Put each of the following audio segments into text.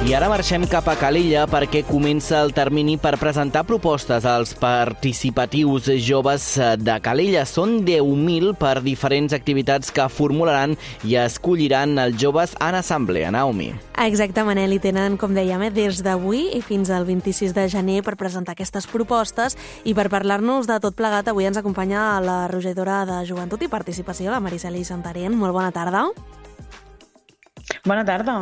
I ara marxem cap a Calella perquè comença el termini per presentar propostes als participatius joves de Calella. Són 10.000 per diferents activitats que formularan i escolliran els joves en assemblea. Naomi. Exacte, Manel, i tenen, com dèiem, des d'avui i fins al 26 de gener per presentar aquestes propostes, i per parlar-nos de tot plegat avui ens acompanya la regidora de Joventut i Participació, la Mariceli Santarén. Molt bona tarda. Bona tarda.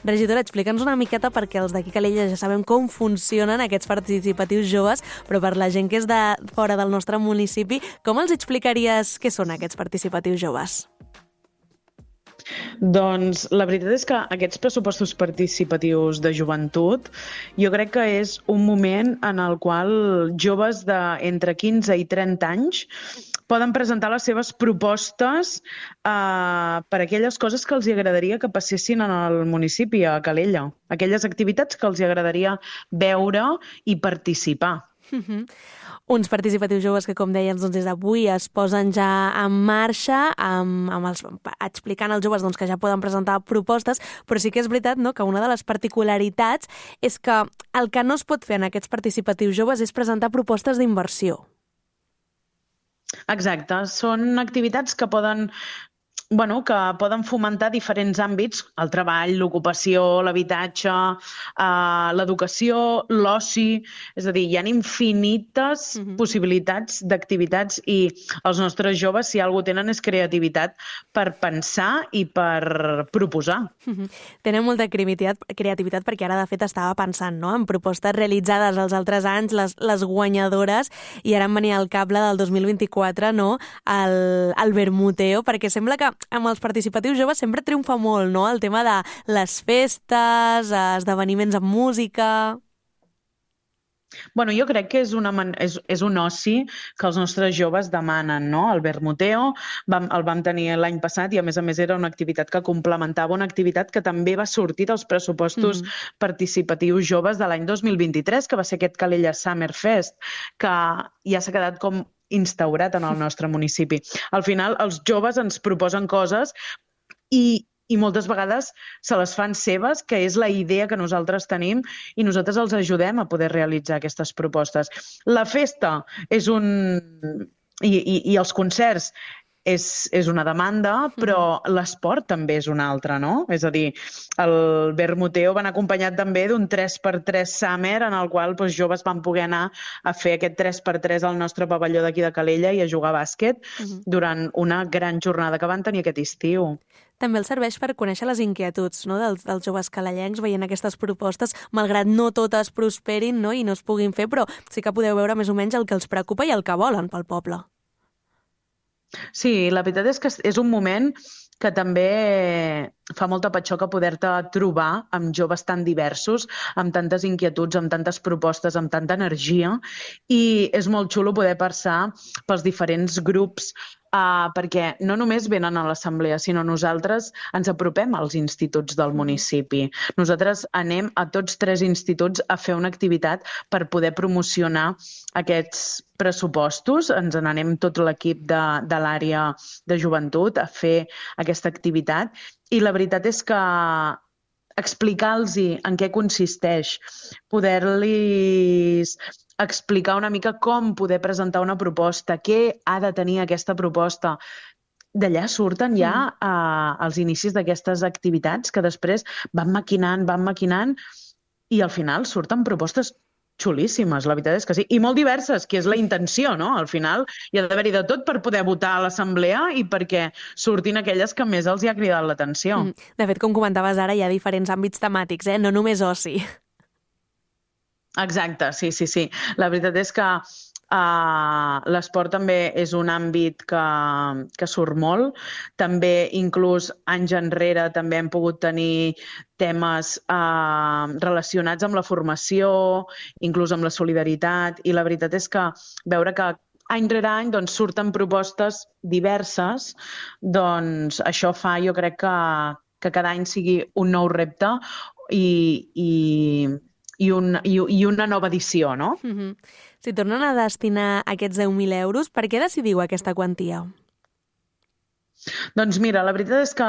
Regidora, explica'ns una miqueta, perquè els d'aquí Calella ja sabem com funcionen aquests participatius joves, però per la gent que és de fora del nostre municipi, com els explicaries què són aquests participatius joves? Doncs la veritat és que aquests pressupostos participatius de joventut jo crec que és un moment en el qual joves d'entre 15 i 30 anys poden presentar les seves propostes per aquelles coses que els agradaria que passessin en el municipi, a Calella. Aquelles activitats que els agradaria veure i participar. Uns participatius joves que, com dèiem, des d'avui es posen ja en marxa, explicant als joves que ja poden presentar propostes, però sí que és veritat que una de les particularitats és que el que no es pot fer en aquests participatius joves és presentar propostes d'inversió. Exacte, són activitats que poden fomentar diferents àmbits: el treball, l'ocupació, l'habitatge, l'educació, l'oci. És a dir, hi ha infinites possibilitats d'activitats, i els nostres joves, si alguna cosa tenen, és creativitat per pensar i per proposar. Tenen molta creativitat, perquè ara, de fet, estava pensant en propostes realitzades els altres anys, les guanyadores, i ara em venia al cap la del 2024, el Vermuteo, perquè sembla que amb els participatius joves sempre triomfa molt, el tema de les festes, esdeveniments amb música. Jo crec que és un oci que els nostres joves demanen, El Vermuteo el vam tenir l'any passat, i a més era una activitat que complementava una activitat que també va sortir dels pressupostos participatius joves de l'any 2023, que va ser aquest Calella Summer Fest, que ja s'ha quedat com instaurat en el nostre municipi. Al final, els joves ens proposen coses i moltes vegades se les fan seves, que és la idea que nosaltres tenim, i nosaltres els ajudem a poder realitzar aquestes propostes. La festa i els concerts és una demanda, però l'esport també és una altra, És a dir, el Vermuteo van acompanyat també d'un 3x3 Summer, en el qual joves van poder anar a fer aquest 3x3 al nostre pavelló d'aquí de Calella i a jugar a bàsquet durant una gran jornada que van tenir aquest estiu. També els serveix per conèixer les inquietuds dels joves calellencs, veient aquestes propostes, malgrat no totes prosperin i no es puguin fer, però sí que podeu veure més o menys el que els preocupa i el que volen pel poble. Sí, la veritat és que és un moment que també fa molta patxoca poder-te trobar amb joves tan diversos, amb tantes inquietuds, amb tantes propostes, amb tanta energia, i és molt xulo poder passar pels diferents grups, perquè no només venen a l'assemblea, sinó nosaltres ens apropem als instituts del municipi. Nosaltres anem a tots 3 instituts a fer una activitat per poder promocionar aquests pressupostos. Ens n'anem tot l'equip de l'àrea de joventut a fer aquesta activitat, i la veritat és que explicar-los en què consisteix, poder-los explicar una mica com poder presentar una proposta, què ha de tenir aquesta proposta. D'allà surten ja els inicis d'aquestes activitats que després van maquinant, i al final surten propostes xulíssimes, la veritat és que sí, i molt diverses, que és la intenció, Al final hi ha d'haver-hi de tot per poder votar a l'assemblea i perquè surtin aquelles que més els hi ha cridat l'atenció. De fet, com comentaves ara, hi ha diferents àmbits temàtics, no només oci. Exacte, sí. La veritat és que l'esport també és un àmbit que surt molt. També, inclús anys enrere, també hem pogut tenir temes relacionats amb la formació, inclús amb la solidaritat, i la veritat és que veure que any rere any surten propostes diverses, això fa, jo crec, que cada any sigui un nou repte i una nova edició, Si tornen a destinar aquests 10.000 euros, per què decidiu aquesta quantia? Doncs mira, la veritat és que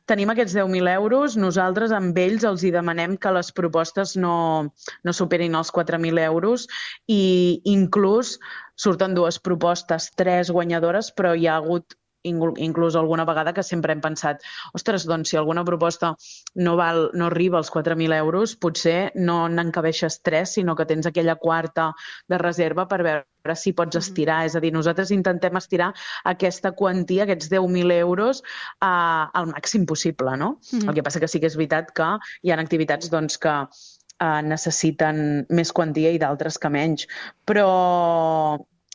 tenim aquests 10.000 euros, nosaltres amb ells els hi demanem que les propostes no superin els 4.000 euros i inclús surten 2 propostes, 3 guanyadores, però hi ha hagut inclús alguna vegada que sempre hem pensat ostres, doncs si alguna proposta no arriba als 4.000 euros, potser no n'encabeixes 3, sinó que tens aquella quarta de reserva per veure si pots estirar. És a dir, nosaltres intentem estirar aquesta quantia, aquests 10.000 euros, al màxim possible, no? El que passa que sí que és veritat que hi ha activitats doncs, que necessiten més quantia i d'altres que menys. Però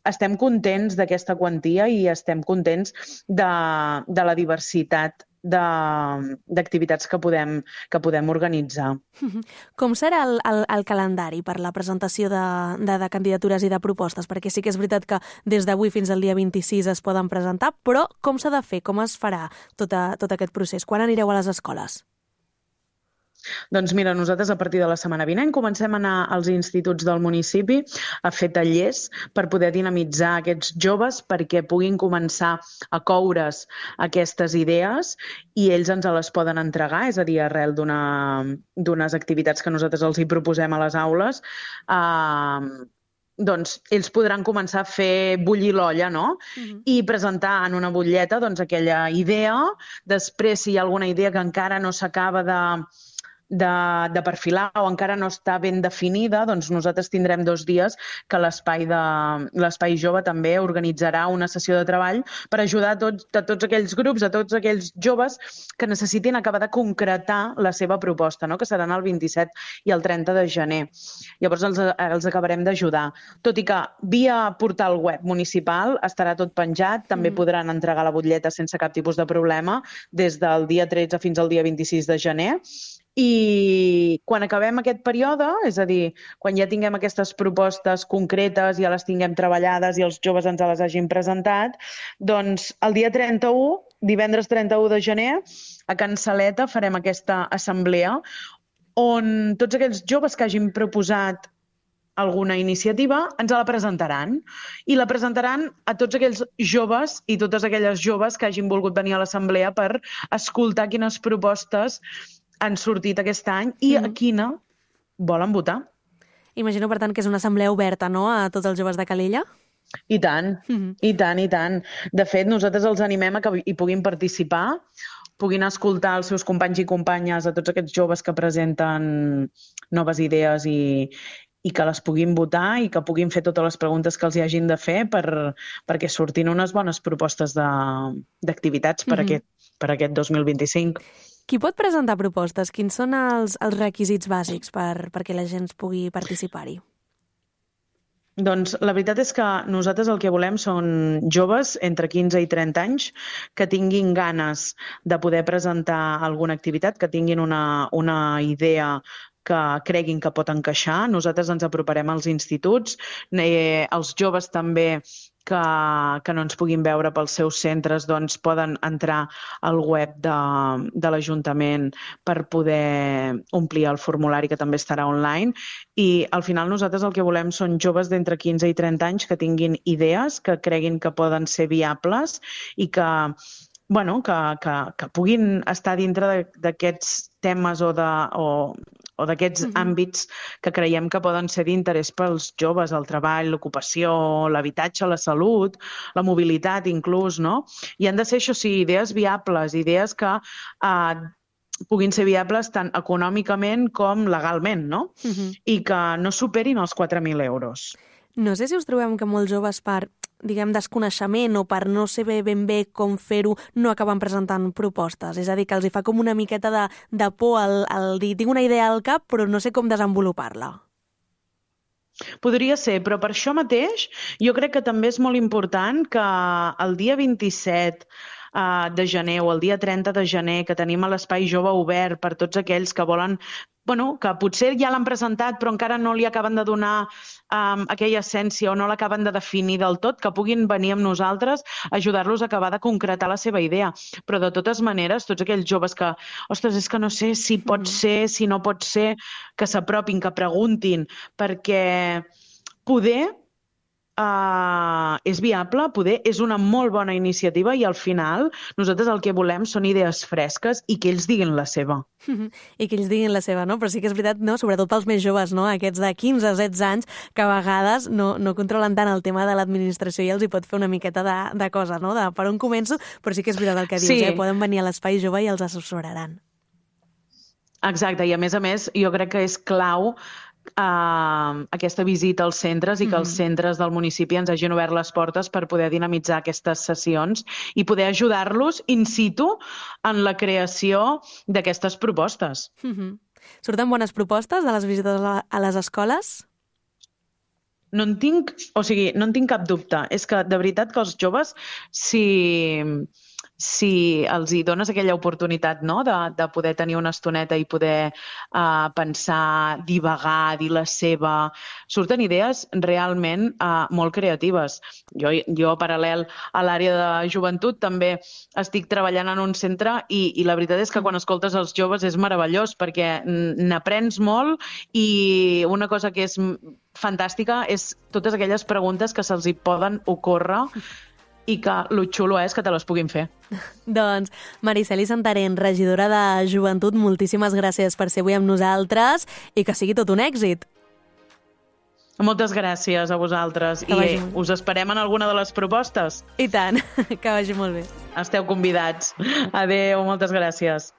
estem contents d'aquesta quantia i estem contents de la diversitat d'activitats que podem organitzar. Com serà el calendari per la presentació de candidatures i de propostes? Perquè sí que és veritat que des d'avui fins al dia 26 es poden presentar, però com s'ha de fer? Com es farà tot aquest procés? Quan anireu a les escoles? Doncs mira, nosaltres a partir de la setmana vinent comencem a anar als instituts del municipi a fer tallers per poder dinamitzar aquests joves perquè puguin començar a coure's aquestes idees i ells ens les poden entregar, és a dir, arrel d'unes activitats que nosaltres els hi proposem a les aules, doncs ells podran començar a fer bullir l'olla, no? I presentar en una butlleta doncs, aquella idea. Després, si hi ha alguna idea que encara no s'acaba de perfilar o encara no està ben definida, doncs nosaltres tindrem 2 dies que l'Espai Jove també organitzarà una sessió de treball per ajudar a tots aquells grups, a tots aquells joves que necessitin acabar de concretar la seva proposta, no? Que seran el 27 i el 30 de gener. Llavors els acabarem d'ajudar. Tot i que via portal web municipal estarà tot penjat, també podran entregar la butlleta sense cap tipus de problema des del dia 13 fins al dia 26 de gener. I quan acabem aquest període, és a dir, quan ja tinguem aquestes propostes concretes, ja les tinguem treballades i els joves ens les hagin presentat, doncs el dia 31, divendres 31 de gener, a Can Saleta farem aquesta assemblea on tots aquells joves que hagin proposat alguna iniciativa ens la presentaran i la presentaran a tots aquells joves i totes aquelles joves que hagin volgut venir a l'assemblea per escoltar quines propostes han sortit aquest any i a quina volen votar. Imagino, per tant, que és una assemblea oberta, no?, a tots els joves de Calella? I tant, i tant, i tant. De fet, nosaltres els animem a que hi puguin participar, puguin escoltar els seus companys i companyes, a tots aquests joves que presenten noves idees i que les puguin votar i que puguin fer totes les preguntes que els hi hagin de fer perquè surtin unes bones propostes d'activitats per aquest 2025. Qui pot presentar propostes? Quins són els requisits bàsics perquè la gent pugui participar-hi? Doncs la veritat és que nosaltres el que volem són joves entre 15 i 30 anys que tinguin ganes de poder presentar alguna activitat, que tinguin una idea que creguin que pot encaixar. Nosaltres ens aproparem als instituts, els joves també que no ens puguin veure pels seus centres doncs poden entrar al web de l'Ajuntament per poder omplir el formulari que també estarà online i al final nosaltres el que volem són joves d'entre 15 i 30 anys que tinguin idees, que creguin que poden ser viables i que puguin estar dintre d'aquests temes o d'aquests àmbits que creiem que poden ser d'interès pels joves, el treball, l'ocupació, l'habitatge, la salut, la mobilitat inclús, no? I han de ser, això sí, idees viables, idees que puguin ser viables tant econòmicament com legalment, no? I que no superin els 4.000 euros. No sé si us trobem que molts joves per desconeixement o per no saber ben bé com fer-ho, no acaben presentant propostes. És a dir, que els hi fa com una miqueta de por al dir, tinc una idea al cap, però no sé com desenvolupar-la. Podria ser, però per això mateix jo crec que també és molt important que el dia 27 de gener o el dia 30 de gener que tenim a l'Espai Jove obert per tots aquells que volen, que potser ja l'han presentat però encara no li acaben de donar aquella essència o no l'acaben de definir del tot, que puguin venir amb nosaltres a ajudar-los a acabar de concretar la seva idea. Però de totes maneres, tots aquells joves que, ostres, és que no sé si pot ser, si no pot ser, que s'apropin, que preguntin, perquè poder és viable, poder és una molt bona iniciativa i al final nosaltres el que volem són idees fresques i que ells diguin la seva. I que ells diguin la seva, no? Però sí que és veritat, no? Sobretot pels més joves, no? Aquests de 15-16 anys, que a vegades no controlen tant el tema de l'administració i els hi pot fer una miqueta de cosa, no? De per on començo, però sí que és veritat el que dius, Sí. Poden venir a l'espai jove i els assessoraran. Exacte, i a més, jo crec que és clau aquesta visita als centres i que els centres del municipi ens hagin obert les portes per poder dinamitzar aquestes sessions i poder ajudar-los in situ en la creació d'aquestes propostes. Surten bones propostes de les visites a les escoles? No en tinc cap dubte. És que, de veritat, que els joves, si els hi dones aquella oportunitat, no?, de poder tenir una estoneta i poder pensar, divagar, dir la seva... Surten idees realment molt creatives. Jo, paral·lel a l'àrea de joventut, també estic treballant en un centre i la veritat és que quan escoltes els joves és meravellós perquè n'aprens molt i una cosa que és fantàstica és totes aquelles preguntes que se'ls hi poden ocórrer i que lo xulo és que te les puguin fer. Doncs, Maricel·li Santarén, regidora de Joventut, moltíssimes gràcies per ser avui amb nosaltres i que sigui tot un èxit. Moltes gràcies a vosaltres i us esperem en alguna de les propostes. I tant, que vagi molt bé. Esteu convidats. Adéu, moltes gràcies.